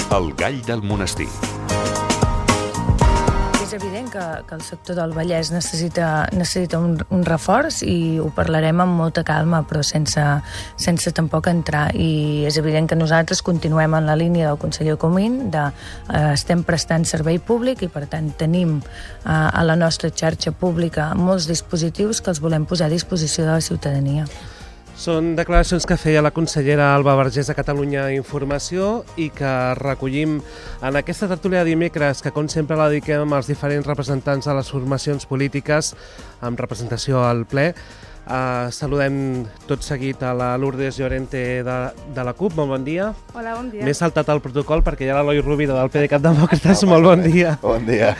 El gall del monestir. És evident que el sector del Vallès necessita un reforç i ho parlarem amb molta calma, però sense tampoc entrar. I és evident que nosaltres continuem en la línia del conseller Comín, estem prestant servei públic i, per tant, tenim a la nostra xarxa pública molts dispositius que els volem posar a disposició de la ciutadania. Són declaracions que feia la consellera Alba Vergés a Catalunya Informació i que recollim en aquesta tertúlia de dimecres, que com sempre la dediquem als diferents representants de les formacions polítiques amb representació al ple. Saludem tot seguit a la Lourdes Llorente de la CUP. Molt bon dia. Hola, bon dia. M'he saltat el protocol perquè hi ha l'Eloi Rovira del PDeCAT Demòcrates. Molt bon dia. Bon dia.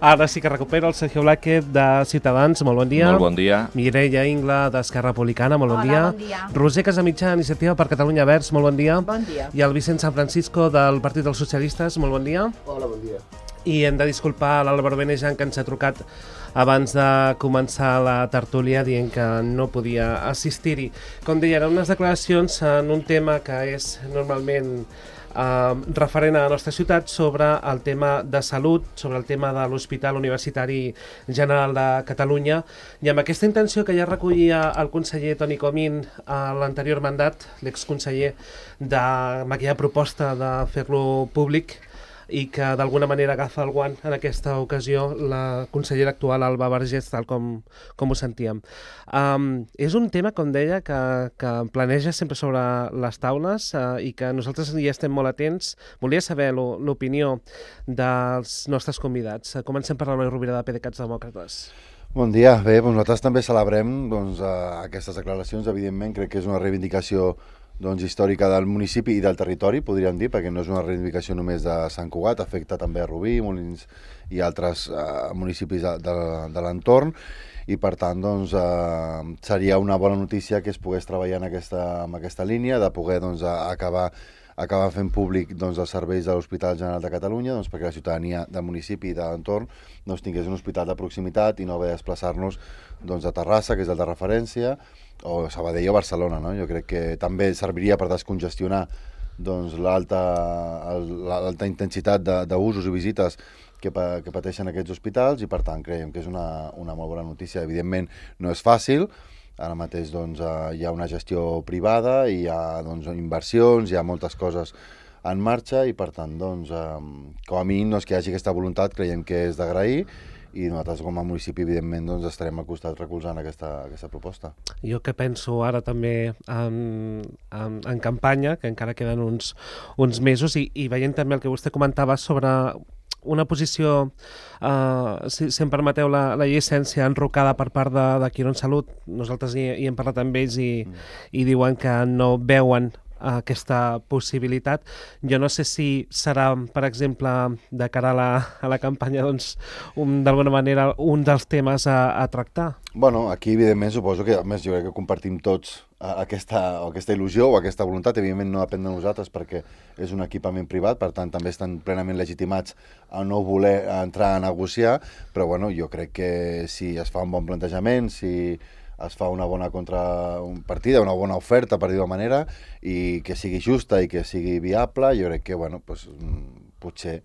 Ara sí que recupero el Sergio Blázquez de Ciutadans. Molt bon dia. Molt bon dia. Mireia Ingla d'Esquerra Republicana. Molt bon dia. Hola, bon dia. Roser Casamitjà, Iniciativa per Catalunya Verds. Molt bon dia. Bon dia. I el Vicent San Francisco del Partit dels Socialistes. Molt bon dia. Hola, bon dia. I hem de disculpar l'Àlvaro Benejan, que ens ha trucat abans de començar la tertúlia dient que no podia assistir-hi. Com deia, eren unes declaracions en un tema que és normalment referent a la nostra ciutat, sobre el tema de salut, sobre el tema de l'Hospital Universitari General de Catalunya, i amb aquesta intenció que ja recollia el conseller Toni Comín a l'anterior mandat, l'exconseller, amb aquella proposta de fer-lo públic, i que d'alguna manera agafa el guant en aquesta ocasió la consellera actual Alba Vergés, tal com ho sentíem. És un tema, com deia, que planeja sempre sobre les taules i que nosaltres hi estem molt atents. Volia saber l'opinió dels nostres convidats. Comencem per l'Eloi Rovira de PDeCAT Demòcrates. Bon dia. Bé, nosaltres també celebrem aquestes declaracions. Evidentment, crec que és una reivindicació històrica del municipi i del territori, podríem dir, perquè no és una reivindicació només de Sant Cugat, afecta també a Rubí, Molins i altres municipis de l'entorn, i per tant seria una bona notícia que es pogués treballar en aquesta línia, de poder acabar fent públic els serveis de l'Hospital General de Catalunya, perquè la ciutadania del municipi i de l'entorn tingués un hospital de proximitat i no haver de desplaçar-nos a Terrassa, que és el de referència, o Sabadell o Barcelona, no? Jo crec que també serviria per descongestionar l'alta intensitat d'usos i visites que pateixen aquests hospitals, i per tant creiem que és una molt bona notícia. Evidentment no és fàcil, ara mateix hi ha una gestió privada, hi ha inversions, hi ha moltes coses en marxa, i per tant com a mínim que hi hagi aquesta voluntat creiem que és d'agrair, i nosaltres com a municipi evidentment estarem al costat recolzant aquesta proposta. Jo que penso ara també en campanya, que encara queden uns mesos, i veient també el que vostè comentava sobre una posició, si em permeteu la llicència, enrocada per part de Quirónsalud. Nosaltres hi hem parlat amb ells i diuen que no veuen aquesta possibilitat. Jo no sé si serà, per exemple, de cara a la campanya, d'alguna manera un dels temes a tractar. Bueno, aquí evidentment suposo que, a més, jo crec que compartim tots aquesta il·lusió o aquesta voluntat. Evidentment no depèn de nosaltres perquè és un equipament privat, per tant també estan plenament legitimats a no voler entrar a negociar, però bueno, jo crec que si es fa un bon plantejament, si es fa una bona contrapartida, una bona oferta, per dir-ho de manera, i que sigui justa i que sigui viable, jo crec que potser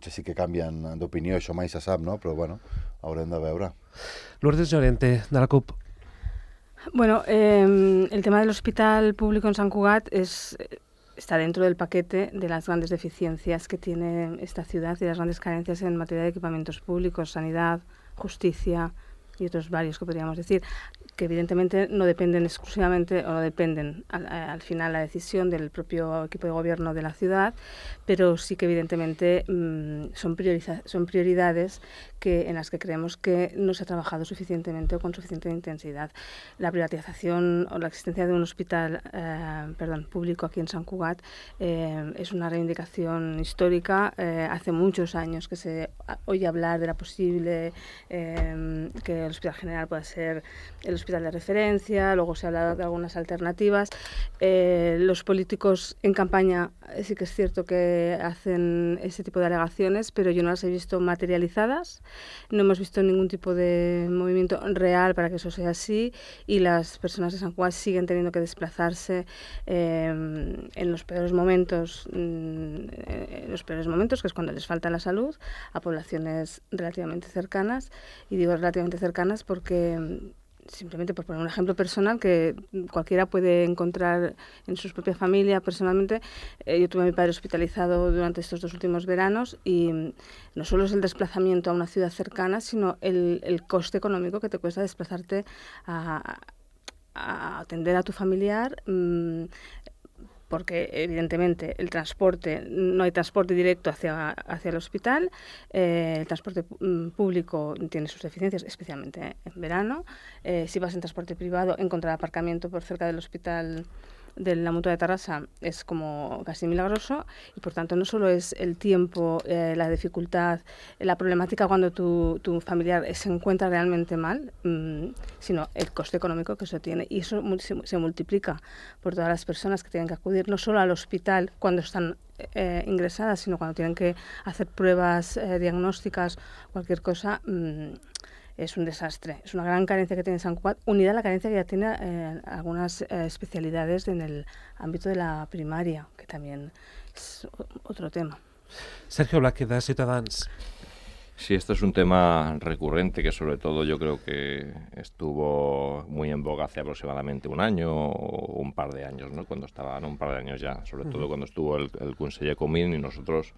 sí que canvien d'opinió, això mai se sap, no? Però haurem de veure. Lourdes Llorente, de la CUP. Bueno, el tema del hospital público en Sant Cugat está dentro del paquete de las grandes deficiencias que tiene esta ciudad y las grandes carencias en materia de equipamientos públicos, sanidad, justicia y otros varios que podríamos decir, que evidentemente no dependen exclusivamente o no dependen al final la decisión del propio equipo de gobierno de la ciudad, pero sí que evidentemente son prioridades en las que creemos que no se ha trabajado suficientemente o con suficiente intensidad. La privatización o la existencia de un hospital público aquí en Sant Cugat es una reivindicación histórica. Hace muchos años que se oye hablar de la posible que el Hospital General pueda ser el hospital de referencia, luego se ha hablado de algunas alternativas. Los políticos en campaña sí que es cierto que hacen ese tipo de alegaciones, pero yo no las he visto materializadas, no hemos visto ningún tipo de movimiento real para que eso sea así, y las personas de Sant Cugat siguen teniendo que desplazarse en los peores momentos, que es cuando les falta la salud, a poblaciones relativamente cercanas, y digo relativamente cercanas porque simplemente por poner un ejemplo personal que cualquiera puede encontrar en su propia familia personalmente. Yo tuve a mi padre hospitalizado durante estos 2 últimos veranos y no solo es el desplazamiento a una ciudad cercana, sino el coste económico que te cuesta desplazarte a atender a tu familiar, porque evidentemente el transporte, no hay transporte directo hacia el hospital, el transporte público tiene sus deficiencias, especialmente en verano. Si vas en transporte privado, encontrar aparcamiento por cerca del hospital de la Mutua de Tarrasa es como casi milagroso, y por tanto no solo es el tiempo, la dificultad, la problemática cuando tu familiar se encuentra realmente mal, sino el coste económico que eso tiene, y eso se multiplica por todas las personas que tienen que acudir no solo al hospital cuando están ingresadas, sino cuando tienen que hacer pruebas diagnósticas, cualquier cosa. Es un desastre, es una gran carencia que tiene Sant Cugat, unida a la carencia que ya tiene algunas especialidades en el ámbito de la primaria, que también es otro tema. Sergio Blázquez, de Ciutadans. Sí, esto es un tema recurrente que sobre todo yo creo que estuvo muy en boga hace aproximadamente un año o un par de años, ¿no? Un par de años ya, sobre todo cuando estuvo el Conseller Comín, y nosotros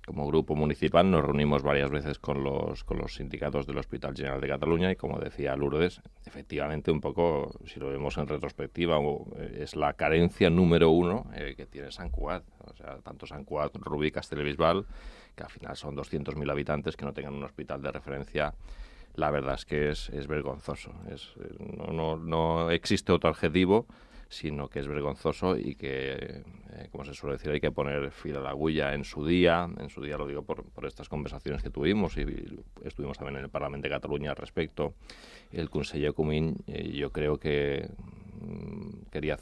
como grupo municipal nos reunimos varias veces con los sindicatos del Hospital General de Cataluña, y como decía Lourdes, efectivamente un poco, si lo vemos en retrospectiva, es la carencia número 1 que tiene Sant Cugat. O sea, tanto Sant Cugat, Rubí, Castellbisbal, que al final son 200.000 habitantes, que no tengan un hospital de referencia. La verdad es que es vergonzoso. No existe otro adjetivo, sino que es vergonzoso, y que, como se suele decir, hay que poner fil a la agulla en su día. Lo digo por estas conversaciones que tuvimos, y estuvimos también en el Parlamento de Cataluña al respecto. El conseller Comín, yo creo que quería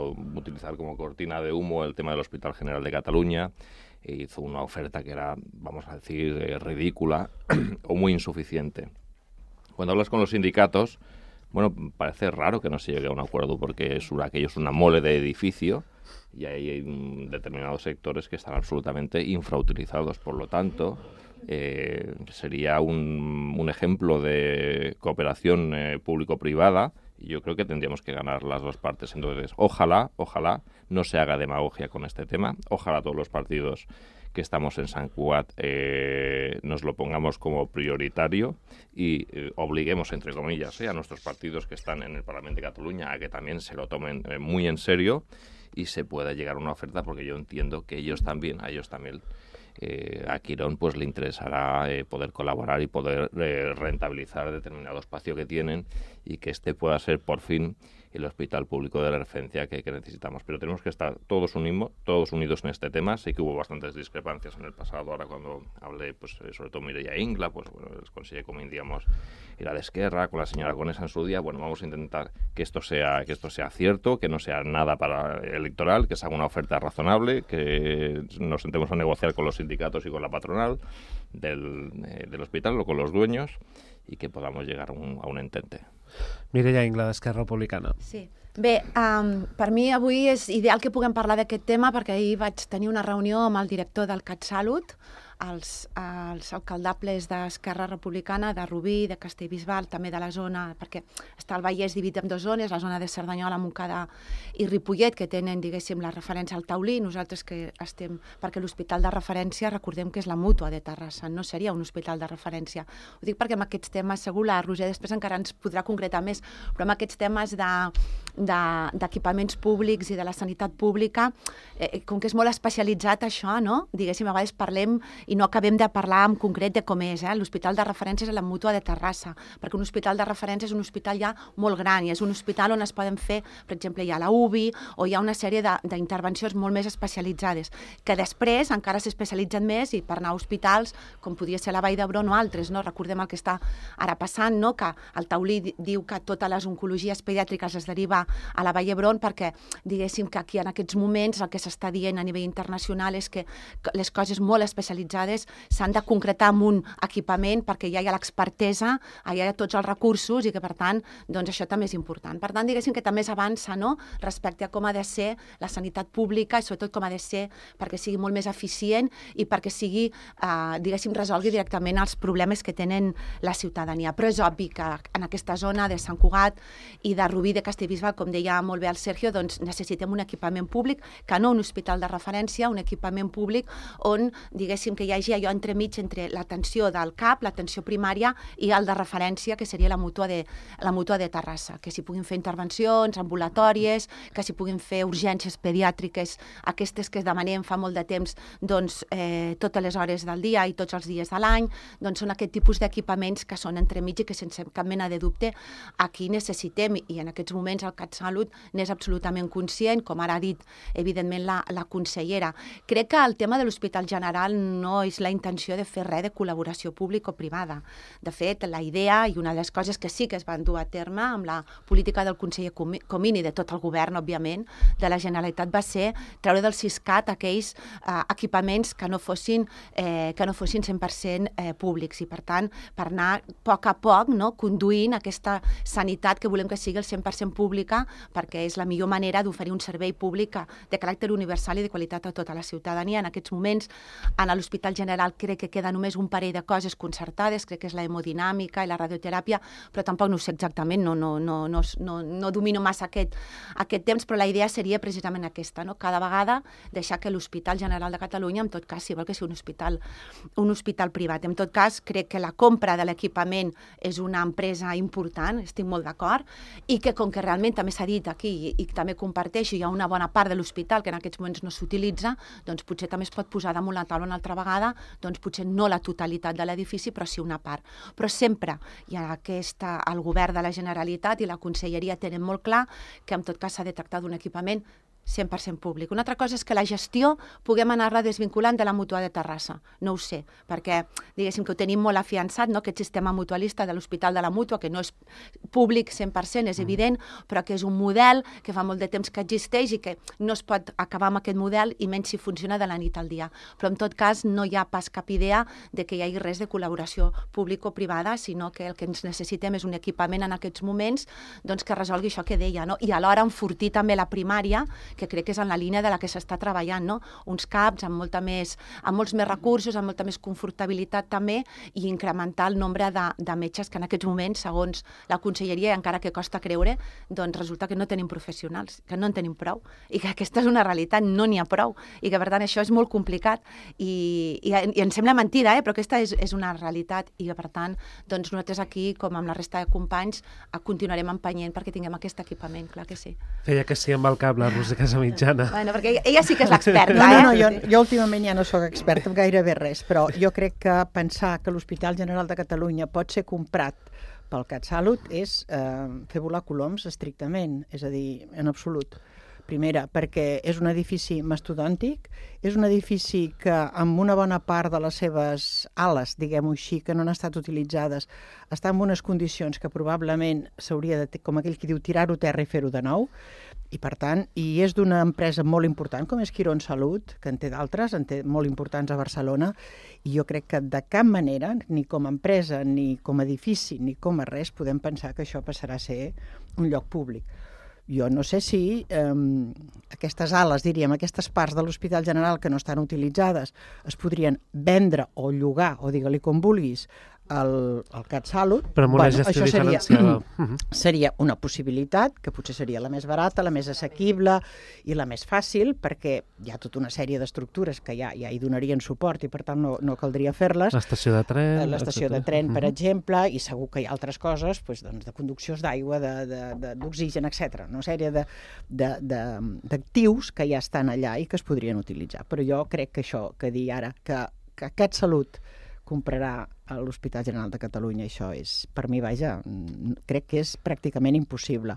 utilizar como cortina de humo el tema del Hospital General de Cataluña, e hizo una oferta que era, vamos a decir, ridícula o muy insuficiente. Cuando hablas con los sindicatos, bueno, parece raro que no se llegue a un acuerdo, porque aquello es una mole de edificio, y hay determinados sectores que están absolutamente infrautilizados. Por lo tanto, sería un ejemplo de cooperación público-privada, y yo creo que tendríamos que ganar las dos partes. Entonces, ojalá no se haga demagogia con este tema, ojalá todos los partidos que estamos en Sant Cugat nos lo pongamos como prioritario, y obliguemos, entre comillas, a nuestros partidos que están en el Parlamento de Cataluña a que también se lo tomen muy en serio, y se pueda llegar a una oferta, porque yo entiendo que a ellos también a Quirón pues le interesará poder colaborar y poder rentabilizar determinado espacio que tienen, y que este pueda ser por fin el hospital público de referencia que necesitamos. Pero tenemos que estar todos unidos en este tema. Sé que hubo bastantes discrepancias en el pasado. Ahora, cuando hablé, pues sobre todo Mireia Ingla, pues bueno, el conseller Comín, digamos, era de Esquerra, con la señora Conesa en su día. Bueno, vamos a intentar que esto sea cierto, que no sea nada para electoral, que se haga una oferta razonable, que nos sentemos a negociar con los sindicatos y con la patronal del hospital, o con los dueños, i que podamos llegar a un entente. Mireia Ingla, d'Esquerra Republicana. Sí. Bé, per mi avui és ideal que puguem parlar d'aquest tema, perquè ahir vaig tenir una reunió amb el director del CatSalut, els alcaldables d'Esquerra Republicana, de Rubí, de Castellbisbal, també de la zona, perquè està el Vallès dividit en 2 zones, la zona de Cerdanyola, Montcada i Ripollet, que tenen, diguéssim, la referència al taulí. Nosaltres que estem... Perquè l'hospital de referència, recordem que és la Mútua de Terrassa, no seria un hospital de referència. Ho dic perquè amb aquests temes, segur la Roser després encara ens podrà concretar més, però amb aquests temes d'equipaments públics i de la sanitat pública, com que és molt especialitzat això, no? Diguéssim, a vegades parlem i no acabem de parlar en concret de com és. L'hospital de referència és la Mútua de Terrassa, perquè un hospital de referència és un hospital ja molt gran i és un hospital on es poden fer, per exemple, hi ha la UBI o hi ha una sèrie d'intervencions molt més especialitzades, que després encara s'especialitzen més i per anar a hospitals com podria ser la Vall d'Hebron o altres, no? Recordem el que està ara passant, no? Que el Taulí diu que totes les oncologies pediàtriques es deriva a la Vall d'Hebron perquè, diguéssim, que aquí en aquests moments el que s'està dient a nivell internacional és que les coses molt especialitzades s'han de concretar en un equipament perquè ja hi ha l'expertesa, ja hi ha tots els recursos i que, per tant, doncs això també és important. Per tant, diguéssim que també s'avança, no?, respecte a com ha de ser la sanitat pública i sobretot com ha de ser perquè sigui molt més eficient i perquè sigui, diguéssim, resolgui directament els problemes que tenen la ciutadania. Però és obvi que en aquesta zona de Sant Cugat i de Rubí de Castellbisbal, com deia molt bé el Sergio, doncs necessitem un equipament públic, que no un hospital de referència, un equipament públic on, diguéssim, que hi hagi allò entremig entre l'atenció del CAP, l'atenció primària i el de referència, que seria la Mútua de Terrassa, que s'hi puguin fer intervencions ambulatòries, que s'hi puguin fer urgències pediàtriques, aquestes que demanem fa molt de temps, doncs, totes les hores del dia i tots els dies de l'any, doncs són aquest tipus d'equipaments que són entremig i que sense cap mena de dubte aquí necessitem, i en aquests moments el CatSalut n'és absolutament conscient, com ara ha dit evidentment la consellera. Crec que el tema de l'Hospital General no és la intenció de fer res de col·laboració pública-privada. De fet, la idea i una de les coses que sí que es van dur a terme amb la política del conseller Comín i de tot el govern, òbviament, de la Generalitat va ser treure del Siscat aquells equipaments que no fossin 100% públics i, per tant, per anar a poc, no?, conduint aquesta sanitat que volem que sigui el 100% pública, perquè és la millor manera d'oferir un servei públic de caràcter universal i de qualitat a tota la ciutadania. En aquests moments, en l'Hospital General crec que queda només un parell de coses concertades, crec que és la hemodinàmica i la radioteràpia, però tampoc no ho sé exactament, no domino massa aquest temps, però la idea seria precisament aquesta, no? Cada vegada deixar que l'Hospital General de Catalunya, en tot cas, si vol que sigui un hospital privat. En tot cas, crec que la compra de l'equipament és una empresa important, estic molt d'acord, i que com que realment també s'ha dit aquí i també comparteixo, hi ha una bona part de l'hospital que en aquests moments no s'utilitza, doncs potser també es pot posar damunt la taula una altra vegada, doncs potser no la totalitat de l'edifici, però sí una part. Però sempre hi ha el govern de la Generalitat i la Conselleria tenen molt clar que en tot cas s'ha de tractar d'un equipament 100% públic. Una altra cosa és que la gestió puguem anar-la desvinculant de la Mútua de Terrassa. No ho sé, perquè diguéssim que ho tenim molt afiançat, no?, aquest sistema mutualista de l'Hospital de la Mútua, que no és públic 100%, és evident, però que és un model que fa molt de temps que existeix i que no es pot acabar amb aquest model i menys si funciona de la nit al dia. Però en tot cas no hi ha pas cap idea de que hi hagi res de col·laboració público-privada, sinó que el que ens necessitem és un equipament en aquests moments doncs, que resolgui això que deia, no? I alhora enfortir també la primària, que crec que és en la línia de la que s'està treballant, no? Uns CAPs amb molts més recursos, amb molta més confortabilitat també, i incrementar el nombre de metges que en aquests moments, segons la Conselleria, encara que costa creure, doncs resulta que no tenim professionals, que no en tenim prou, i que aquesta és una realitat, no n'hi ha prou, i que per tant això és molt complicat, i em sembla mentida, però aquesta és una realitat, i que per tant, doncs nosaltres aquí, com amb la resta de companys, continuarem empenyent perquè tinguem aquest equipament, clar que sí. Feia que sí amb el cap la Rosa Casamitjana. Bueno, perquè ella sí que és l'experta, No, jo últimament ja no sóc experta en gairebé res, però jo crec que pensar que l'Hospital General de Catalunya pot ser comprat pel CatSalut és fer volar coloms estrictament, és a dir, en absolut. Primera, perquè és un edifici mastodòntic, és un edifici que amb una bona part de les seves ales, diguem-ho així, que no han estat utilitzades, està en unes condicions que probablement s'hauria de, com aquell que diu, tirar-ho a terra i fer-ho de nou, i per tant, i és d'una empresa molt important com és Quirón Salut, que en té d'altres, en té molt importants a Barcelona, i jo crec que de cap manera, ni com a empresa, ni com a edifici, ni com a res, podem pensar que això passarà a ser un lloc públic. Jo no sé si aquestes ales, diríem, aquestes parts de l'Hospital General que no estan utilitzades es podrien vendre o llogar, o digue-li com vulguis, el CatSalut... Però amb una gestió diferenciada. Seria una possibilitat, que potser seria la més barata, la més assequible i la més fàcil, perquè hi ha tota una sèrie d'estructures que ja hi donarien suport i, per tant, no caldria fer-les. L'estació de tren... L'estació de tren, per exemple, i segur que hi ha altres coses, de conduccions d'aigua, d'oxigen, etc. Una sèrie d'actius que ja estan allà i que es podrien utilitzar. Però jo crec que això, que dir ara que CatSalut comprarà a l'Hospital General de Catalunya, això és, per mi, vaja, crec que és pràcticament impossible.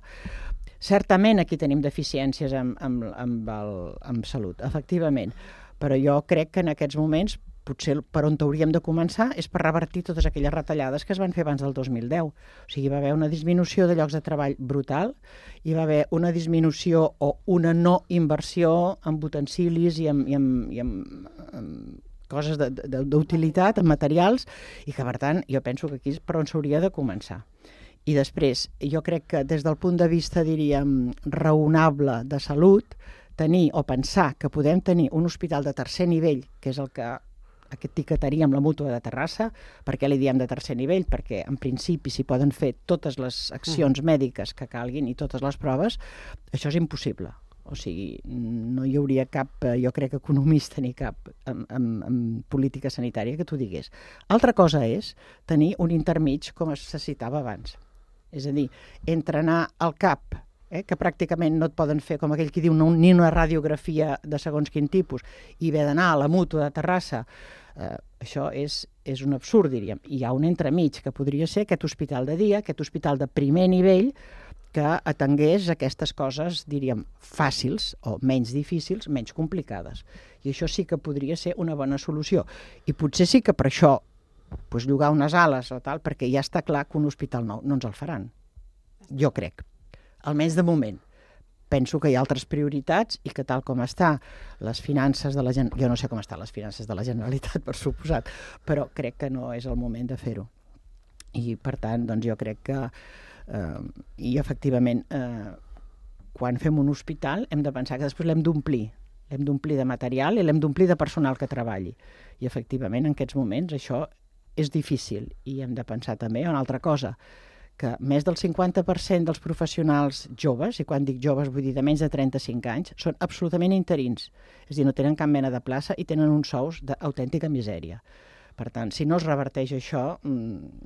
Certament aquí tenim deficiències amb salut, efectivament, però jo crec que en aquests moments potser per on hauríem de començar és per revertir totes aquelles retallades que es van fer abans del 2010. O sigui, va haver una disminució de llocs de treball brutal, hi va haver una disminució o una no inversió en utensilis i en coses d'utilitat, en materials, i que, per tant, jo penso que aquí és per on s'hauria de començar. I després, jo crec que des del punt de vista, diríem, raonable de salut, tenir o pensar que podem tenir un hospital de tercer nivell, que és el que etiquetaríem la Mútua de Terrassa. Per què li diem de tercer nivell? Perquè, en principi, s'hi poden fer totes les accions mèdiques que calguin i totes les proves. Això és impossible. O sigui, no hi hauria cap, jo crec, economista ni cap en política sanitària que t'ho digués. Altra cosa és tenir un intermig, com se citava abans. És a dir, entre anar al CAP, que pràcticament no et poden fer, com aquell que diu, ni una radiografia de segons quin tipus, i haver d'anar a la Mútua de Terrassa, això és un absurd, diríem. Hi ha un entremig, que podria ser aquest hospital de dia, aquest hospital de primer nivell, que atengués aquestes coses, diríem, fàcils o menys difícils, menys complicades. I això sí que podria ser una bona solució. I potser sí que per això llogar unes ales o tal, perquè ja està clar que un hospital nou no ens el faran. Jo crec. Almenys de moment. Penso que hi ha altres prioritats i que tal com està les finances de la Generalitat, jo no sé com estan les finances de la Generalitat, per suposat, però crec que no és el moment de fer-ho. I, per tant, doncs jo crec que i efectivament quan fem un hospital hem de pensar que després l'hem d'omplir de material i l'hem d'omplir de personal que treballi, i efectivament en aquests moments això és difícil. I hem de pensar també en una altra cosa, que més del 50% dels professionals joves, i quan dic joves vull dir de menys de 35 anys, són absolutament interins, és a dir, no tenen cap mena de plaça i tenen uns sous d'autèntica misèria. Per tant, si no es reverteix això,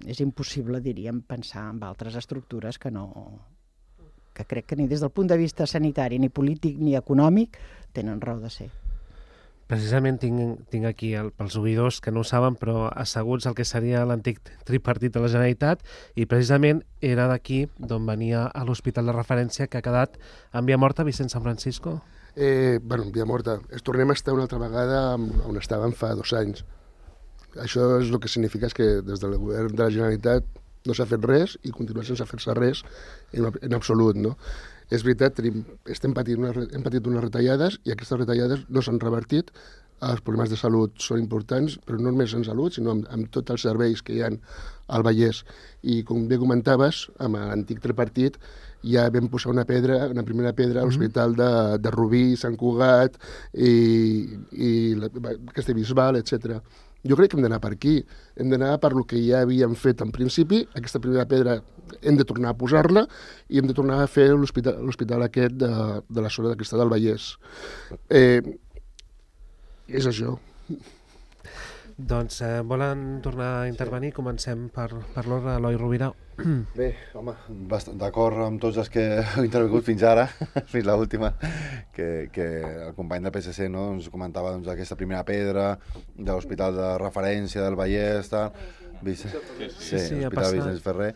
és impossible, diríem, pensar en altres estructures que crec que ni des del punt de vista sanitari, ni polític, ni econòmic, tenen raó de ser. Precisament tinc aquí pels oïdors que no ho saben, però asseguts el que seria l'antic tripartit de la Generalitat, i precisament era d'aquí d'on venia a l'hospital de referència que ha quedat en via morta Vicent San Francisco. En via morta. Tornem a estar una altra vegada on estàvem fa 2 anys. Això és el que significa és que des del govern de la Generalitat no s'ha fet res i continua sense fer-se res en absolut, no? És veritat, hem patit unes retallades i aquestes retallades no s'han revertit. Els problemes de salut són importants, però no només en salut, sinó amb tots els serveis que hi ha al Vallès. I com bé comentaves, amb l'antic tripartit ja vam posar una primera pedra a l'Hospital de Rubí, Sant Cugat i Castellbisbal, etc. Jo crec que hem d'anar per aquí, hem d'anar per el que ja havíem fet en principi, aquesta primera pedra hem de tornar a posar-la i hem de tornar a fer l'hospital aquest de la zona d'aquesta del Vallès. És això. Doncs volen tornar a intervenir? Comencem per l'ordre, Eloi Rovira. Bé, home, bastant d'acord amb tots els que heu intervingut fins ara, fins l'última, que el company del PSC ens comentava aquesta primera pedra de l'hospital de referència del Vallès, l'Hospital Vicenç Ferrer.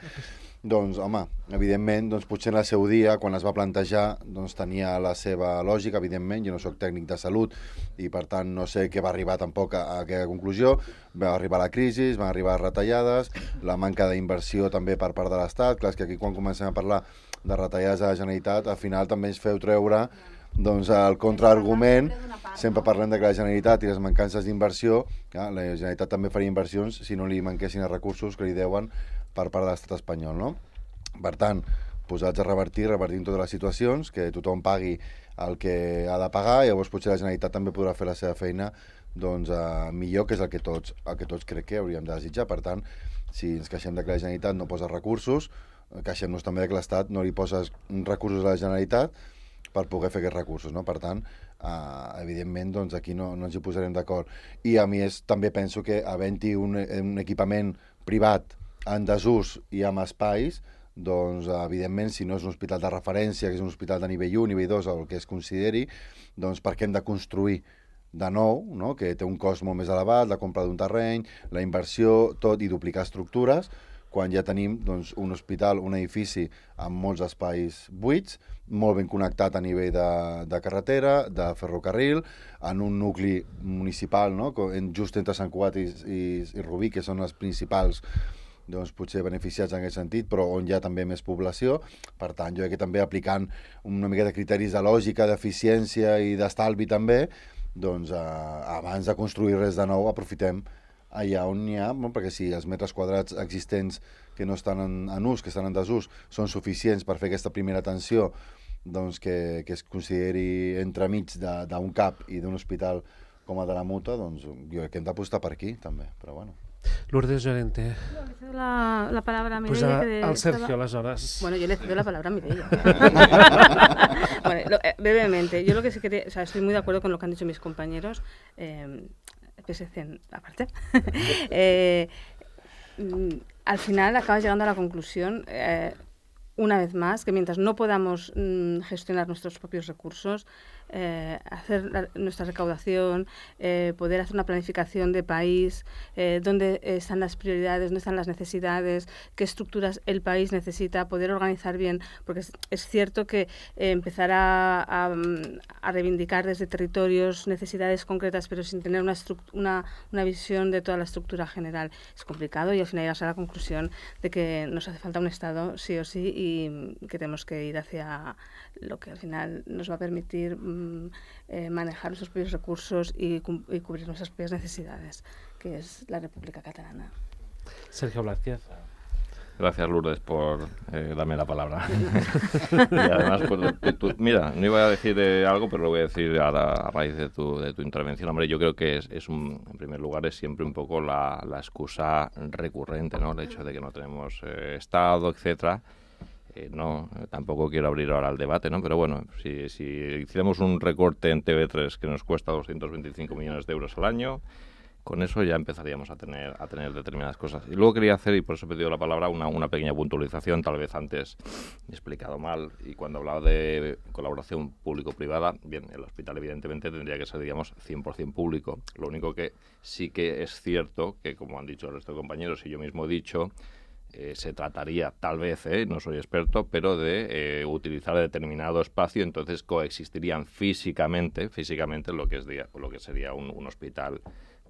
Doncs, home, evidentment, potser en el seu dia, quan es va plantejar, tenia la seva lògica, evidentment, jo no soc tècnic de salut i, per tant, no sé què va arribar tampoc a aquella conclusió. Va arribar la crisi, van arribar retallades, la manca d'inversió també per part de l'Estat. Clar, és que aquí quan comencem a parlar de retallades de la Generalitat, al final també ens feu treure el contraargument. Sempre parlem de que la Generalitat i les mancances d'inversió, la Generalitat també faria inversions si no li manquessin els recursos que li deuen per part de l'estat espanyol, no? Per tant, posats a revertim totes les situacions, que tothom pagui el que ha de pagar, i llavors potser la Generalitat també podrà fer la seva feina millor, que és el que tots crec que hauríem de desitjar. Per tant, si ens queixem de que la Generalitat no posa recursos, queixem-nos també de que l'Estat no li posa recursos a la Generalitat per poder fer aquests recursos, no? Per tant, evidentment, doncs aquí no ens hi posarem d'acord. I a més, també penso que havent-hi un equipament privat en desús i amb espais, doncs, evidentment, si no és un hospital de referència, que és un hospital de nivell 1, nivell 2, o el que es consideri, doncs per què hem de construir de nou, no? Que té un cost molt més elevat, la compra d'un terreny, la inversió, tot, i duplicar estructures, quan ja tenim doncs, un hospital, un edifici amb molts espais buits, molt ben connectat a nivell de carretera, de ferrocarril, en un nucli municipal, no? Just entre Sant Cugat i Rubí, que són els principals doncs, potser beneficiats en aquest sentit, però on hi ha també més població. Per tant, jo crec que també aplicant una mica de criteris de lògica, d'eficiència i d'estalvi també, doncs abans de construir res de nou aprofitem allà on n'hi ha, perquè si els metres quadrats existents que no estan en ús, que estan en desús, són suficients per fer aquesta primera atenció doncs, que es consideri entremig d'un CAP i d'un hospital com el de la Muta, doncs jo crec que hem d'apostar per aquí també, però bueno. Lourdes Llorente. La palabra a Mireia. Pues al Sergio, aleshores. Bueno, yo le cedo la palabra a Mireia. Bueno, brevemente, yo lo que sí quería, o sea, estoy muy de acuerdo con lo que han dicho mis compañeros, PSC aparte. Al final acabas llegando a la conclusión, una vez más, que mientras no podamos gestionar nuestros propios recursos, hacer nuestra recaudación, poder hacer una planificación de país, dónde están las prioridades, dónde están las necesidades, qué estructuras el país necesita, poder organizar bien, porque es cierto que empezar a reivindicar desde territorios necesidades concretas, pero sin tener una visión de toda la estructura general, es complicado, y al final llegas a la conclusión de que nos hace falta un Estado sí o sí, y que tenemos que ir hacia lo que al final nos va a permitir manejar nuestros propios recursos y cubrir nuestras propias necesidades, que es la República Catalana. Sergio Blázquez. Gracias, Lourdes, por darme la palabra. Y además, pues, mira, no iba a decir algo, pero lo voy a decir a raíz de tu intervención. Hombre, yo creo que en primer lugar, es siempre un poco la excusa recurrente, ¿no? El hecho de que no tenemos Estado, etcétera. No, tampoco quiero abrir ahora el debate, ¿no? Pero bueno, si hiciéramos un recorte en TV3 que nos cuesta 225 millones de euros al año, con eso ya empezaríamos a tener determinadas cosas. Y luego quería hacer, y por eso he pedido la palabra, una pequeña puntualización, tal vez antes he explicado mal, y cuando hablaba de colaboración público-privada, bien, el hospital evidentemente tendría que ser, digamos, 100% público. Lo único que sí que es cierto, que como han dicho el resto de compañeros y yo mismo he dicho, se trataría, tal vez, no soy experto, pero de utilizar determinado espacio, entonces coexistirían físicamente lo que sería un hospital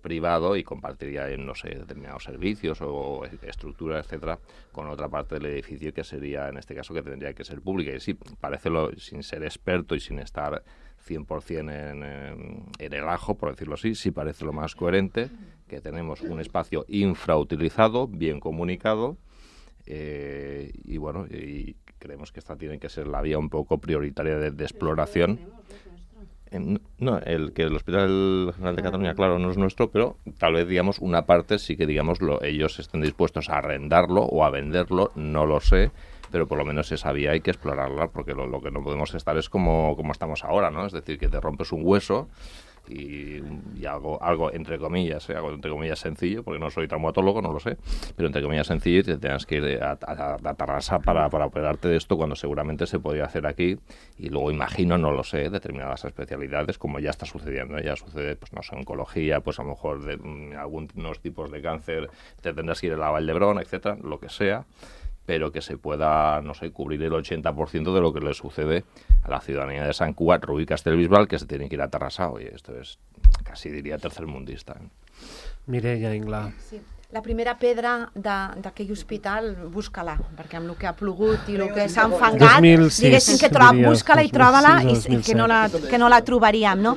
privado y compartiría, no sé, determinados servicios o estructuras, etcétera, con otra parte del edificio que sería, en este caso, que tendría que ser pública. Y sí, parece, sin ser experto y sin estar 100% en el ajo, por decirlo así, sí parece lo más coherente, que tenemos un espacio infrautilizado, bien comunicado, y bueno, y creemos que esta tiene que ser la vía un poco prioritaria de exploración. No, el Hospital General de Cataluña, claro, no es nuestro, pero tal vez, digamos, una parte sí que, digamos, ellos estén dispuestos a arrendarlo o a venderlo, no lo sé, pero por lo menos esa vía hay que explorarla, porque lo que no podemos estar es como estamos ahora, ¿no? Es decir, que te rompes un hueso y algo entre comillas sencillo, porque no soy traumatólogo, no lo sé, pero entre comillas sencillo, y te tengas que ir a Tarrasa para operarte de esto, cuando seguramente se podría hacer aquí, y luego imagino, no lo sé, determinadas especialidades, como ya está sucediendo, ya sucede, pues no sé, oncología, pues a lo mejor de algunos tipos de cáncer te tendrás que ir a la Vall-d'Hebron, etcétera, lo que sea, pero que se pueda, no sé, cubrir el 80% de lo que le sucede a la ciudadanía de Sant Cugat, Rubí, Castellbisbal, que se tiene que ir a Tarrasa. Oye, esto es, casi diria, tercermundista. Mireia Inglà. Sí. La primera pedra d'aquell hospital, busca-la, perquè amb el que ha plogut i el que s'ha enfangat, diguéssim que busca-la i troba-la i que no la trobaríem, no?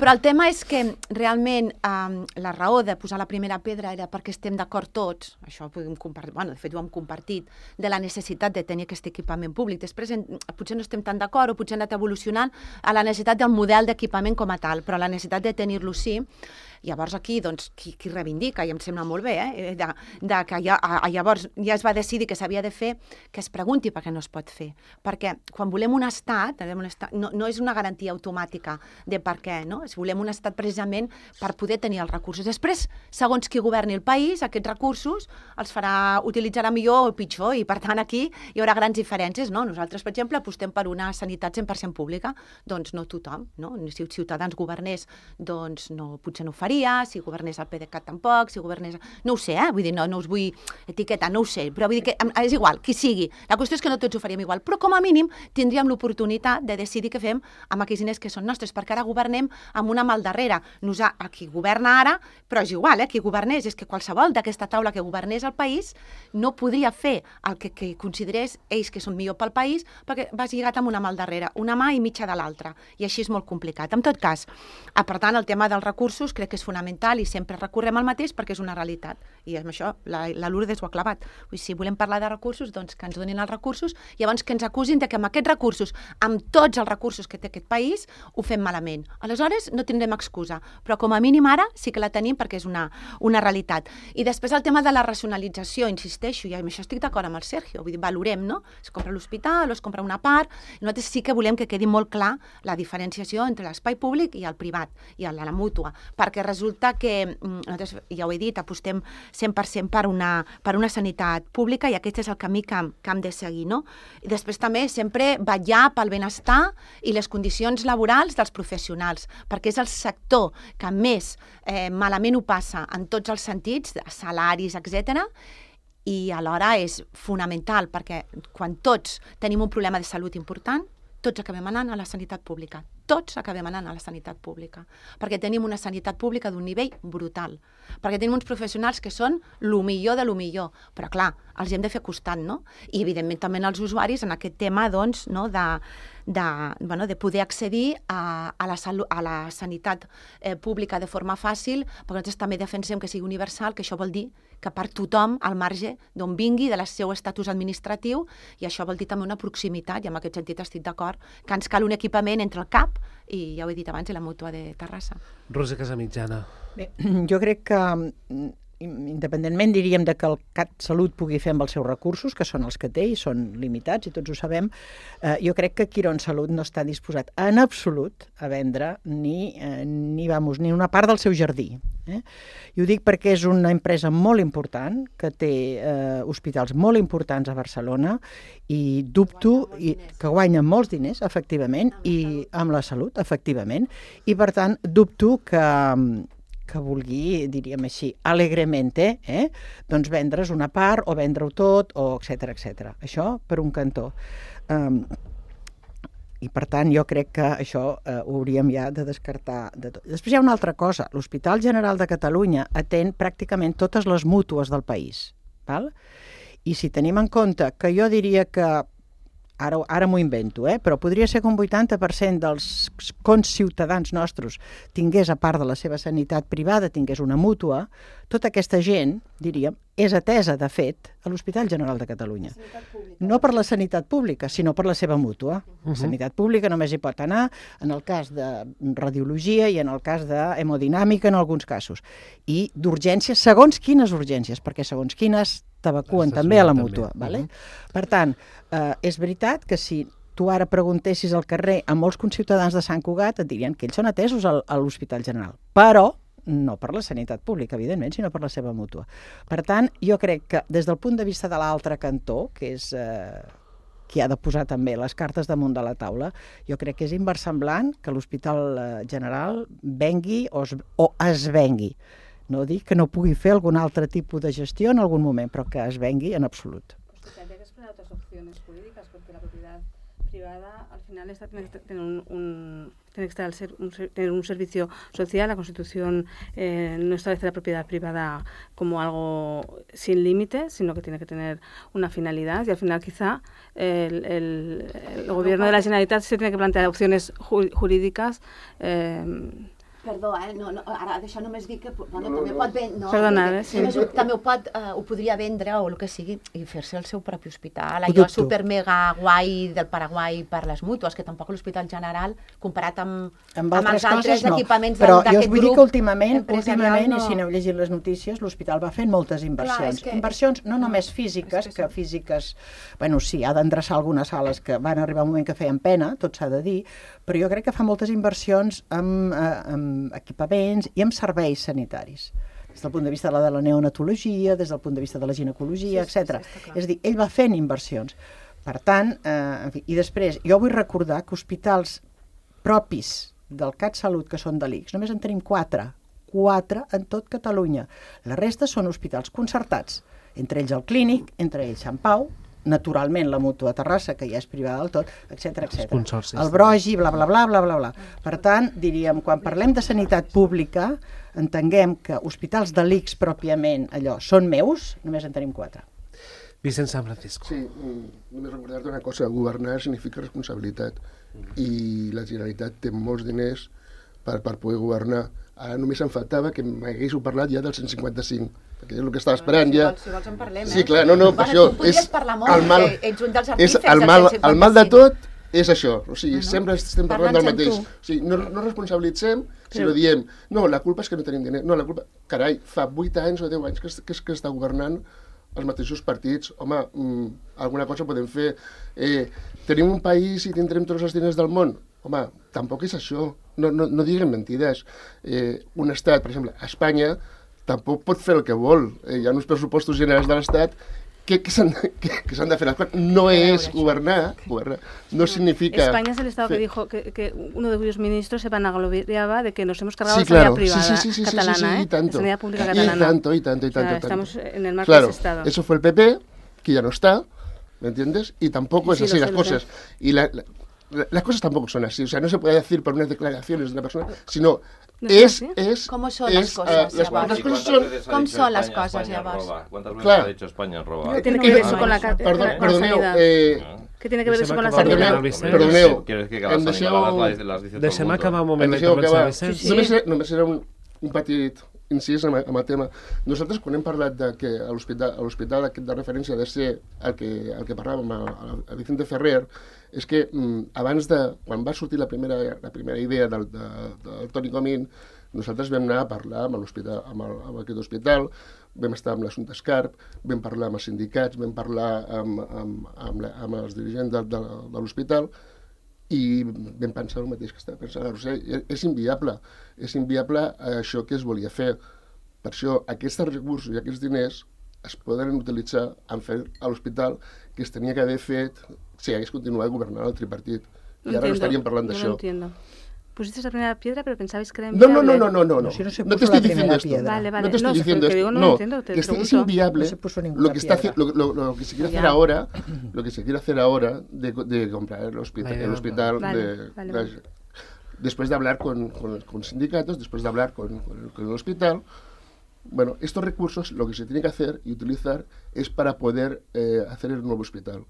Però el tema és que realment la raó de posar la primera pedra era perquè estem d'acord tots, això ho podem compartir, bueno, de fet ho hem compartit, de la necessitat de tenir aquest equipament públic. Després potser no estem tan d'acord o potser hem anat evolucionant a la necessitat del model d'equipament com a tal, però la necessitat de tenir-lo sí. Llavors aquí, doncs, qui reivindica, i em sembla molt bé, que llavors ja es va decidir que s'havia de fer, que es pregunti per què no es pot fer. Perquè quan volem un estat no és una garantia automàtica de per què, no? Volem un estat precisament per poder tenir els recursos. Després, segons qui governi el país, aquests recursos els utilitzarà millor o pitjor, i per tant aquí hi haurà grans diferències, no? Nosaltres, per exemple, apostem per una sanitat 100% pública, doncs no tothom, no? Si Ciutadans governés, doncs potser no ho faria, si governés el PDeCAT tampoc, si governés... No ho sé, vull dir, no us vull etiquetar, no ho sé, però vull dir que és igual, qui sigui. La qüestió és que no tots ho faríem igual, però com a mínim tindríem l'oportunitat de decidir què fem amb aquells diners que són nostres, perquè ara governem amb una mà al darrere. Qui governa ara, però és igual, qui governés, és que qualsevol d'aquesta taula que governés el país no podria fer el que considerés ells que són millor pel país, perquè vas lligat amb una mà al darrere, una mà i mitja de l'altra, i així és molt complicat. En tot cas, per tant, el tema dels recursos crec que és fonamental i sempre recorrem al mateix perquè és una realitat. I amb això la Lourdes ho ha clavat. Si volem parlar de recursos, doncs que ens donin els recursos i llavors que ens acusin de que amb aquests recursos, amb tots els recursos que té aquest país, ho fem malament. Aleshores, no tindrem excusa, però com a mínim ara sí que la tenim perquè és una realitat. I després el tema de la racionalització, insisteixo, i amb això estic d'acord amb el Sergio, vull dir, valorem, no? Es compra l'hospital o es compra una part, nosaltres sí que volem que quedi molt clar la diferenciació entre l'espai públic i el privat, i la mútua, perquè resulta que, nosaltres, ja ho he dit, apostem 100% per una sanitat pública i aquest és el camí que hem de seguir, no? I després també sempre vetllar pel benestar i les condicions laborals dels professionals, perquè és el sector que més malament ho passa en tots els sentits, salaris, etc. I alhora és fonamental, perquè quan tots tenim un problema de salut important, tots acabem anant a la sanitat pública. Tots acabem anant a la sanitat pública, perquè tenim una sanitat pública d'un nivell brutal, perquè tenim uns professionals que són lo millor de lo millor, però clar, els hem de fer costat, no? I evidentment també els usuaris en aquest tema, doncs, no, de poder accedir a la sanitat pública de forma fàcil, perquè nosaltres també defensem que sigui universal, que això vol dir que per tothom, al marge d'on vingui, del seu estatus administratiu, i això vol dir també una proximitat, i en aquest sentit estic d'acord, que ens cal un equipament entre el CAP i, ja ho he dit abans, la mútua de Terrassa. Rosa Casamitjana. Bé, jo crec que independentment, diríem, de que el CatSalut pugui fer amb els seus recursos, que són els que té i són limitats, i tots ho sabem, jo crec que Quirónsalud no està disposat en absolut a vendre ni una part del seu jardí. I ho dic perquè és una empresa molt important, que té hospitals molt importants a Barcelona, i dubto que guanya molts diners, efectivament, i amb la salut, efectivament, i per tant dubto que vulgui, diríem així, alegrement, doncs vendre's una part o vendre-ho tot, o etcètera, etcètera. Això per un cantó. I per tant jo crec que això ho hauríem ja de descartar de tot. Després hi ha una altra cosa. L'Hospital General de Catalunya atén pràcticament totes les mútues del país. Val? I si tenim en compte que jo diria que ara m'ho invento, però podria ser que un 80% dels conciutadans nostres tingués, a part de la seva sanitat privada, tingués una mútua, tota aquesta gent, diríem, és atesa, de fet, a l'Hospital General de Catalunya. No per la sanitat pública, sinó per la seva mútua. La sanitat pública només hi pot anar en el cas de radiologia i en el cas d'hemodinàmica en alguns casos. I d'urgències, segons quines urgències, perquè segons quines t'evacuen també a la mútua. Per tant, és veritat que si tu ara preguntessis al carrer a molts conciutadans de Sant Cugat et dirien que ells són atesos a l'Hospital General, però no per la sanitat pública, evidentment, sinó per la seva mútua. Per tant, jo crec que des del punt de vista de l'altre cantó, que és qui ha de posar també les cartes damunt de la taula, jo crec que és inversemblant que l'Hospital General vengui o es vengui. No dic que no pugui fer algun altre tipus de gestió en algun moment, però que es vengui en absolut. Pues tendría que explorar otras opciones jurídicas, porque la propiedad privada al final tiene que tener un servicio social. La Constitución no establece la propiedad privada como algo sin límites, sino que tiene que tener una finalidad, y al final quizá el gobierno de la Generalitat se tiene que plantear opciones jurídicas Perdó, ara d'això només dic que també pot vendre... Perdona, sí. També ho podria vendre o el que sigui i fer-se el seu propi hospital. Allò super mega guai del Paraguai per les mútues, que tampoc l'Hospital General, comparat amb els altres equipaments d'aquest grup... Però jo us vull dir que últimament, i si aneu llegint les notícies, l'hospital va fent moltes inversions. Inversions no només físiques, que físiques... Bueno, sí, ha d'endreçar algunes sales que van arribar un moment que feien pena, tot s'ha de dir, però jo crec que fa moltes inversions amb equipaments i amb serveis sanitaris, des del punt de vista de la neonatologia, des del punt de vista de la ginecologia, etc. És a dir, ell va fent inversions. Per tant, en fi, i després, jo vull recordar que hospitals propis del CatSalut, que són de l'ICS, només en tenim 4 en tot Catalunya. La resta són hospitals concertats, entre ells el Clínic, entre ells Sant Pau, naturalment la Mútua Terrassa, que ja és privada del tot, etc. El Brogi, bla, bla, bla, bla, bla, bla. Per tant, diríem, quan parlem de sanitat pública, entenguem que hospitals de l'ICS pròpiament, allò, són meus, només en tenim 4. Vicent San Francisco. Sí, només recordar-te una cosa, governar significa responsabilitat i la Generalitat té molts diners per poder governar. Ara només em faltava que m'haguéssiu parlat ja del 155, perquè és el que estava esperant ja. Si vols en parlem, Sí, clar, no, per això. Tu podries parlar molt, ets un dels artífexs del 155. El mal de tot és això, o sigui, sempre estem parlant del mateix. O sigui, no responsabilitzem, sinó diem, no, la culpa és que no tenim diners, no, la culpa... Carai, fa 8 anys o 10 anys que està governant els mateixos partits. Home, alguna cosa podem fer. Tenim un país i tindrem tots els diners del món? Home, tampoc és això. No diguem mentides. Un estat, per exemple, Espanya, tampoc pot fer el que vol. Hi ha uns pressupostos generals de l'Estat que s'han de fer. No es gobernar, no significa... España es el Estado que dijo que uno de cuyos ministros se vanagloriaba de que nos hemos cargado la sanidad privada catalana, la sanidad pública catalana. Y tanto. Estamos en el marco de ese Estado. Eso fue el PP, que ya no está, ¿me entiendes? Y tampoco es así las cosas. Y las cosas tampoco son así. O sea, no se puede decir por unas declaraciones de una persona, sino... ¿Cómo son las cosas? ¿Cómo son las cosas, llavors? ¿Cuántas veces ha dicho España roba? ¿Qué tiene que ver eso con la sanidad? ¿Qué tiene que ver eso con la sanidad? Perdoneu. ¿Quieres que cada sanidad las dice todo el mundo? Deixem acabar un moment la intervenció, Vicent. Només era un petit incís amb el tema. Nosaltres, quan hem parlat de que l'hospital de referència ha de ser el que parlàvem a Vicente Ferrer, és que abans quan va sortir la primera idea del Toni Comín, nosaltres vam anar a parlar amb aquest hospital, vam estar amb l'Assumpta Escarp, vam parlar amb els sindicats, vam parlar amb els dirigents de l'hospital i vam pensar el mateix que estava pensant la Roser. És inviable això que es volia fer. Per això aquests recursos i aquests diners es poden utilitzar en fer a l'hospital que es tenia que haver fet si hagués continuat governant el tripartit. I ara no estaríem parlant d'això. Pusiste la primera piedra, pero pensabais que era inviable. No. No te estoy diciendo esto. Vale. No te estoy diciendo esto. No, que es inviable lo que se quiere hacer ahora, de comprar el hospital, después de hablar con sindicatos, después de hablar con el hospital. Bueno, estos recursos lo que se tiene que hacer y utilizar es para poder hacer el nuevo hospital.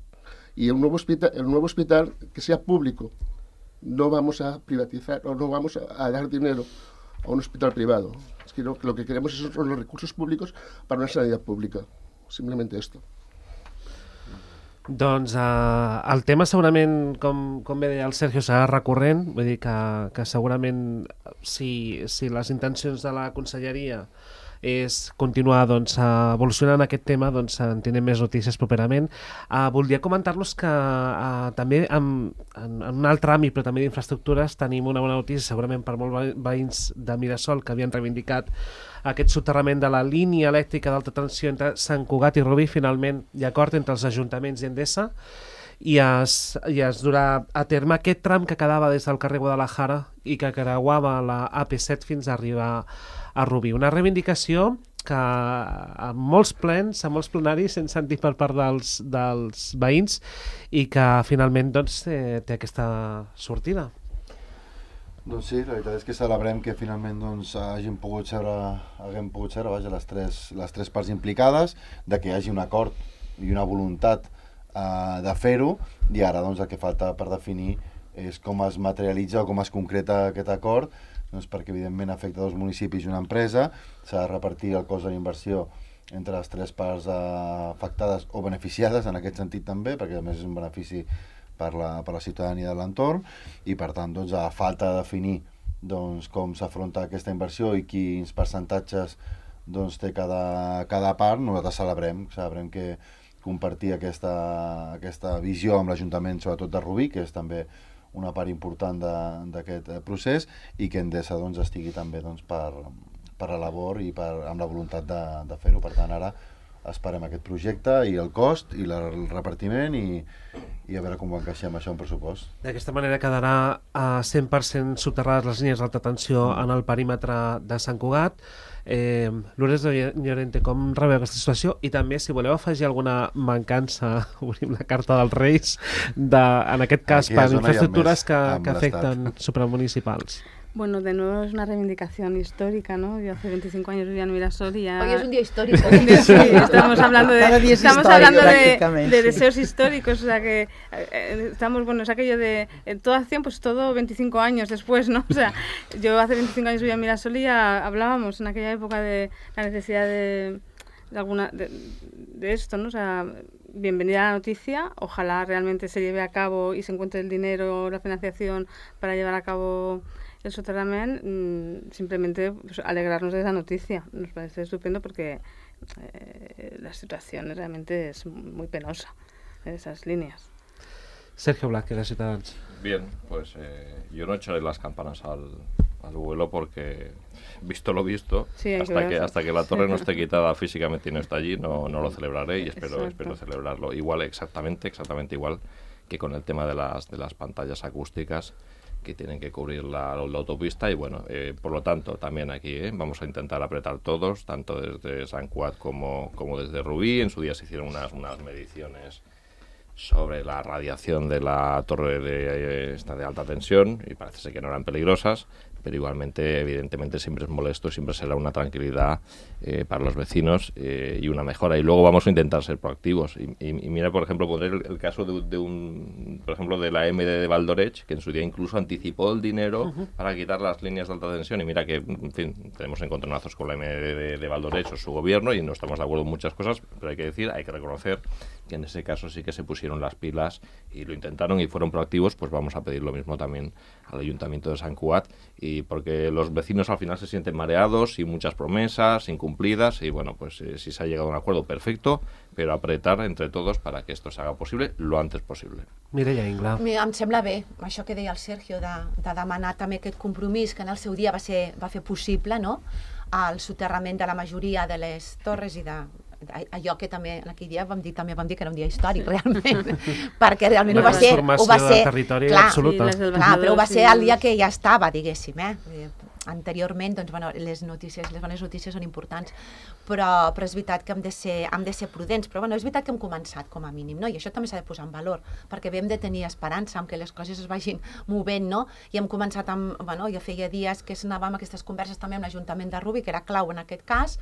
Y el nuevo hospital que sea público. No vamos a privatizar o no vamos a dar dinero a un hospital privado. Es que lo que queremos son los recursos públicos para una sanidad pública. Simplemente esto. Doncs el tema segurament, com bé deia el Sergio, serà recurrent, vull dir que segurament si les intencions de la conselleria és continuar evolucionant aquest tema, en tindrem més notícies properament. Voldria comentar-los que també en un altre àmbit, però també d'infraestructures, tenim una bona notícia, segurament per molts veïns de Mirasol que havien reivindicat aquest soterrament de la línia elèctrica d'alta tensió entre Sant Cugat i Rubí. Finalment hi ha acord entre els ajuntaments i Endesa i es durà a terme aquest tram que quedava des del carrer Guadalajara i que creuava la AP7 fins a arribar a Rubí. Una reivindicació que a molts plens, a molts plenaris hem sentit per part dels veïns i que finalment té aquesta sortida. Doncs sí, la veritat és que celebrem que finalment haguem pogut seure les tres parts implicades, de que hi hagi un acord i una voluntat de fer-ho, i ara el que falta per definir és com es materialitza o com es concreta aquest acord, doncs perquè evidentment afecta 2 municipis i una empresa, s'ha de repartir el cost de la inversió entre les 3 parts afectades o beneficiades en aquest sentit també, perquè a més és un benefici per la ciutadania de l'entorn, i per tant doncs, a falta de definir doncs, com s'afronta aquesta inversió i quins percentatges doncs, té cada part, nosaltres celebrem que compartir aquesta visió amb l'Ajuntament, sobretot de Rubí, que és també una part important d'aquest procés, i que Endesa doncs, estigui també doncs, per la labor i amb la voluntat de fer-ho. Per tant, ara esperem aquest projecte i el cost i el repartiment i a veure com ho encaixem això en pressupost. D'aquesta manera quedarà a 100% subterrades les línies d'alta tensió en el perímetre de Sant Cugat. Lourdes de Llorente, com rebeu aquesta situació? I també, si voleu afegir alguna mancança, obrim la carta dels Reis, en aquest cas per infraestructures que afecten supramunicipals. Bueno, de nuevo es una reivindicación histórica, ¿no? Yo hace 25 años vivía en Mirasol y ya... Hoy es un día histórico. Sí, estamos hablando de deseos históricos, o sea que estamos, bueno, es aquello de toda acción, pues todo 25 años después, ¿no? O sea, yo hace 25 años vivía en Mirasol y ya hablábamos en aquella época de la necesidad de esto, ¿no? O sea, bienvenida a la noticia, ojalá realmente se lleve a cabo y se encuentre el dinero, la financiación para llevar a cabo el soterramiento, simplemente pues, alegrarnos de esa noticia. Nos parece estupendo porque la situación realmente es muy penosa en esas líneas. Sergio Black, de Ciutadans. Bien, pues yo no echaré las campanas al vuelo porque, visto lo visto, sí, hasta que la torre no esté quitada físicamente y no está allí, no lo celebraré y espero celebrarlo igual, exactamente igual que con el tema de las pantallas acústicas que tienen que cubrir la autopista y bueno, por lo tanto también aquí vamos a intentar apretar todos, tanto desde Sant Cugat como desde Rubí. En su día se hicieron unas mediciones sobre la radiación de la torre de alta tensión y parece ser que no eran peligrosas, pero igualmente, evidentemente, siempre es molesto, siempre será una tranquilidad para los vecinos y una mejora. Y luego vamos a intentar ser proactivos. Y mira, por ejemplo, poner el caso por ejemplo, de la MD de Valdoreix, que en su día incluso anticipó el dinero para quitar las líneas de alta tensión. Y mira que, en fin, tenemos encontronazos con la MD de Valdoreix o su gobierno y no estamos de acuerdo en muchas cosas, pero hay que reconocer que en ese caso sí que se pusieron las pilas y lo intentaron y fueron proactivos. Pues vamos a pedir lo mismo también al Ayuntamiento de Sant Cugat, y porque los vecinos al final se sienten mareados y muchas promesas incumplidas y bueno, pues si se ha llegado a un acuerdo, perfecto, però apretar entre todos para que esto se haga posible lo antes posible. Mireia Ingla. Em sembla bé, això que deia el Sergio, de demanar també aquest compromís que en el seu dia va fer possible, no?, el soterrament de la majoria de les torres i allò que també en aquell dia vam dir que era un dia històric, realment, perquè realment ho va ser... Una transformació de territori absoluta. Clar, però ho va ser el dia que ja estava, diguéssim, anteriorment, doncs, bueno, les bones notícies són importants, però és veritat que hem de ser prudents, però bueno, és veritat que hem començat com a mínim, no? I això també s'ha de posar en valor, perquè hem de tenir esperança en que les coses es vagin movent, no? I hem començat amb, bueno, ja feia dies que anàvem a aquestes converses també amb l'Ajuntament de Rubí, que era clau en aquest cas,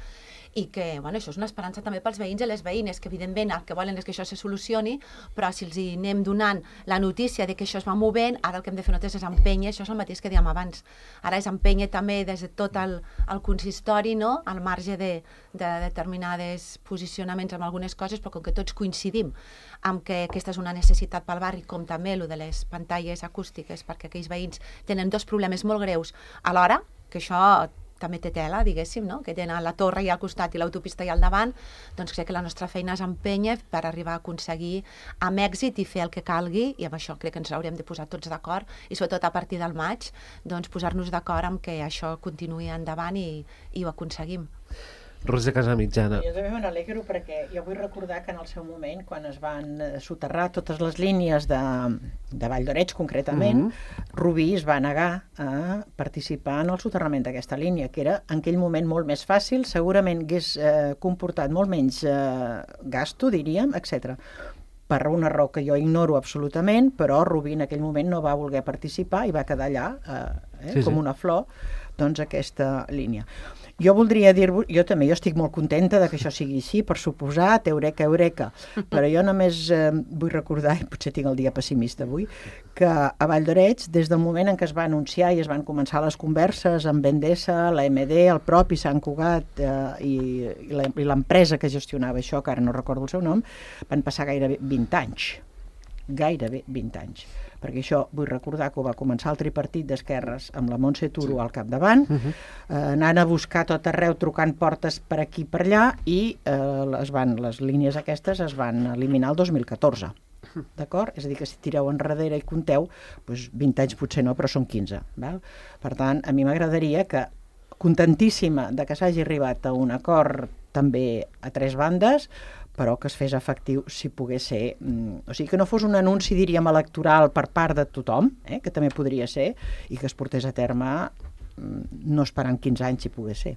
i que, bueno, això és una esperança també pels veïns i les veïnes, que evidentment el que volen és que això se solucioni, però si els hi anem donant la notícia de que això es va movent, ara el que hem de fer nosaltres és empènyer, això és el mateix que dèiem abans, ara és empènyer també des de tot el consistori, no?, al marge de determinades posicionaments amb algunes coses, però com que tots coincidim amb que aquesta és una necessitat pel barri, com també el de les pantalles acústiques, perquè aquells veïns tenen dos problemes molt greus alhora, que això també té tela, diguéssim, no?, que tenen la torre i al costat i l'autopista i al davant, doncs crec que la nostra feina és empènyer per arribar a aconseguir amb èxit i fer el que calgui, i amb això crec que ens haurem de posar tots d'acord, i sobretot a partir del maig, doncs posar-nos d'acord amb que això continuï endavant i ho aconseguim. Roser Casamitjana. Jo també me n'alegro perquè jo vull recordar que en el seu moment, quan es van soterrar totes les línies de Valldoreig concretament, Rubí es va negar a participar en el soterrament d'aquesta línia, que era en aquell moment molt més fàcil, segurament hagués comportat molt menys gasto, diríem, etc. Per una raó que jo ignoro absolutament, però Rubí en aquell moment no va voler participar i va quedar allà com una flor, doncs aquesta línia. Jo voldria dir-vos, jo estic molt contenta de que això sigui així, per suposat, eureka, però jo només vull recordar, i potser tinc el dia pessimista avui, que a Vall d'Oreig, des del moment en què es va anunciar i es van començar les converses amb Endesa, la MD, el propi Sant Cugat i l'empresa que gestionava això, que ara no recordo el seu nom, van passar gairebé 20 anys. Gairebé 20 anys. Perquè això vull recordar que ho va començar el tripartit d'esquerres amb la Montse Turo al capdavant, anant a buscar tot arreu, trucant portes per aquí i per allà, i les línies aquestes es van eliminar el 2014. D'acord? És a dir, que si tireu enrere i compteu, doncs 20 anys potser no, però són 15. Val? Per tant, a mi m'agradaria que, contentíssima de que s'hagi arribat a un acord també a 3 bandes, però que es fes efectiu si pogués ser... O sigui, que no fos un anunci, diríem, electoral per part de tothom, que també podria ser, i que es portés a terme no esperant 15 anys si pogués ser.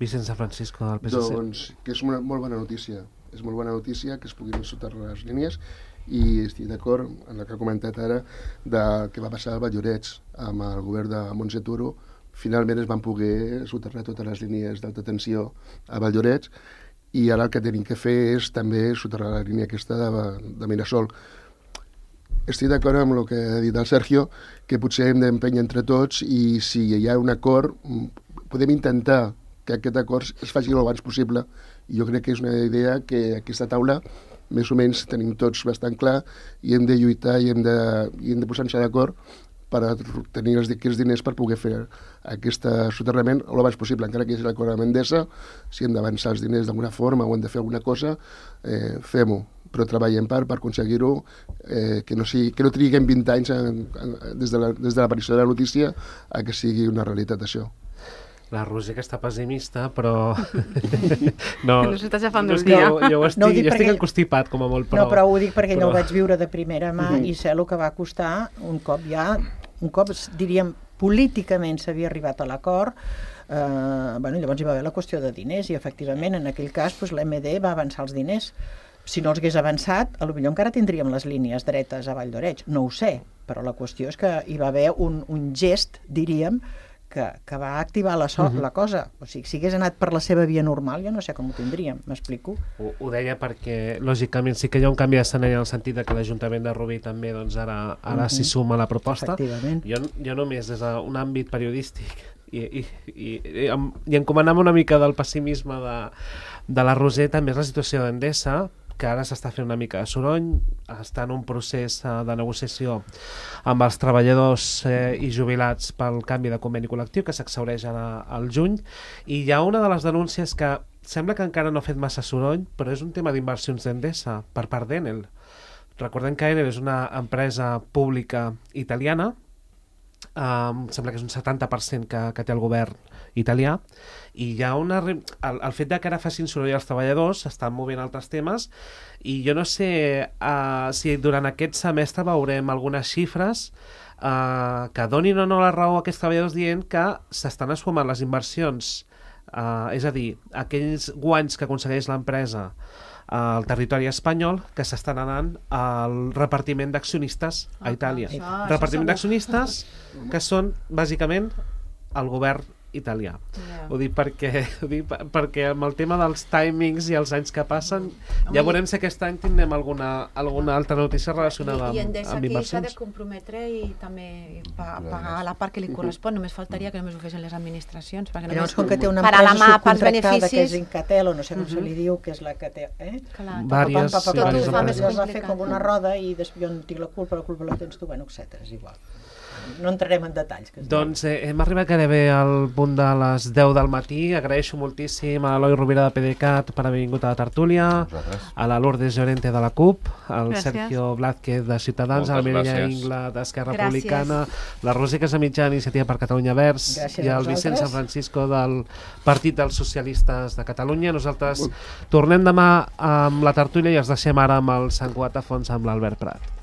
Vicent San Francisco, del PSC. Doncs que és una molt bona notícia. És molt bona notícia que es puguin soterrar les línies i estic d'acord en el que ha comentat ara del que va passar a Vall d'Oreig amb el govern de Montse Turo. Finalment es van poder soterrar totes les línies d'alta tensió a Vall d'Oreig, i ara el que tenim que fer és també soterrar la línia aquesta de Mirasol. Estic d'acord amb el que ha dit el Sergio, que potser hem d'empènyer entre tots i si hi ha un acord, podem intentar que aquest acord es faci el abans possible. I jo crec que és una idea que aquesta taula més o menys tenim tots bastant clar i hem de lluitar i hem de posar-nos d'acord per tenir aquests diners per poder fer aquest soterrament el abans possible, encara que és l'acord amb Endesa. Si hem d'avançar els diners d'alguna forma o hem de fer alguna cosa, fem-ho, però treballem per aconseguir-ho, que no triguem 20 anys des de l'aparició de la notícia a que sigui una realitat això. La Roser, que està pessimista, però... no, que no s'està agafant el dia. Jo estic encostipat, com a molt, però... No, però ho dic perquè no ho vaig viure de primera mà i sé el que va costar un cop, diríem, políticament s'havia arribat a l'acord. Llavors hi va haver la qüestió de diners i, efectivament, en aquell cas, l'MD va avançar els diners. Si no els hagués avançat, potser encara tindríem les línies dretes a Vall d'Oreig. No ho sé, però la qüestió és que hi va haver un gest, diríem, que va activar la cosa. O sigui, si hagués anat per la seva via normal, jo no sé com ho tindríem, m'explico? Ho deia perquè, lògicament, sí que hi ha un canvi d'escenari en el sentit que l'Ajuntament de Rubí també ara s'hi suma a la proposta. Jo només des d'un àmbit periodístic i encomanant una mica del pessimisme de la Roser, també és la situació d'Endesa, que ara s'està fent una mica de soroll, està en un procés de negociació amb els treballadors i jubilats pel canvi de conveni col·lectiu que s'exhaureix ara al juny, i hi ha una de les denúncies que sembla que encara no ha fet massa soroll, però és un tema d'inversions d'Endesa per part d'Enel. Recordem que Enel és una empresa pública italiana, sembla que és un 70% que té el govern italià, i hi ha el fet de que ara facin soroll als treballadors, s'estan movent altres temes, i jo no sé si durant aquest semestre veurem algunes xifres que donin o no la raó a aquests treballadors dient que s'estan esfumant les inversions, és a dir, aquells guanys que aconsegueix l'empresa al territori espanyol, que s'estan anant al repartiment d'accionistes a Itàlia. Repartiment d'accionistes que són bàsicament el govern italià. Ho dic perquè amb el tema dels timings i els anys que passen, ja veurem si aquest any tindrem alguna altra notícia relacionada amb inversions. I Endesa aquí s'ha de comprometre i també pagar la part que li correspon. Només faltaria que només ho fessin les administracions. Llavors, com que té una empresa subcontractada que és Incatel, o no sé com se li diu, que és la que té... Vàries empreses. Es va fer com una roda i jo no tinc la culpa la tens tu, etc. És igual. No entrarem en detalls. Doncs hem arribat gairebé al punt de les 10 del matí. Agraeixo moltíssim a l'Eloi Rovira de PDeCAT per haver vingut a la tertúlia, a la Lourdes Llorente de la CUP, al Sergio Blázquez de Ciutadans, a la Mireia Ingla d'Esquerra Republicana, la Roser Casamitjana d'Iniciativa per Catalunya Verds i el Vicent San Francisco del Partit dels Socialistes de Catalunya. Nosaltres tornem demà amb la tertúlia i els deixem ara amb el Sant Cugat a fons amb l'Albert Prat.